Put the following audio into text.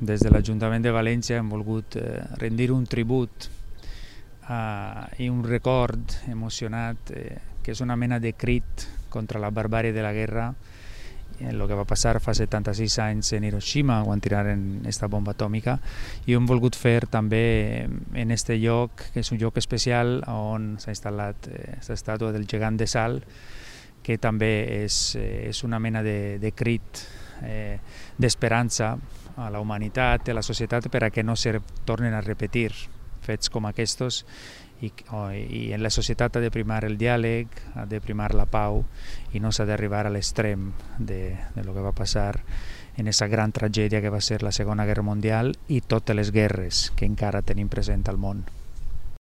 des de l'Ajuntament de València hem volgut rendir un tribut i un record emocionat que és una mena de crit contra la barbàrie de la guerra, el que va passar fa 76 anys en Hiroshima quan tiraren aquesta bomba atòmica, i hem volgut fer també en este lloc, que és un lloc especial on s'ha instal·lat aquesta estàtua del gegant de sal, que també és una mena de crit d'esperança a la humanitat, a la societat, per a que no se tornen a repetir fets com aquests, i en la societat ha de primar el diàleg, ha de primar la pau, i no s'ha d'arribar a l'extrem de lo que va passar en aquesta gran tragèdia que va ser la Segona Guerra Mundial i totes les guerres que encara tenim present al món.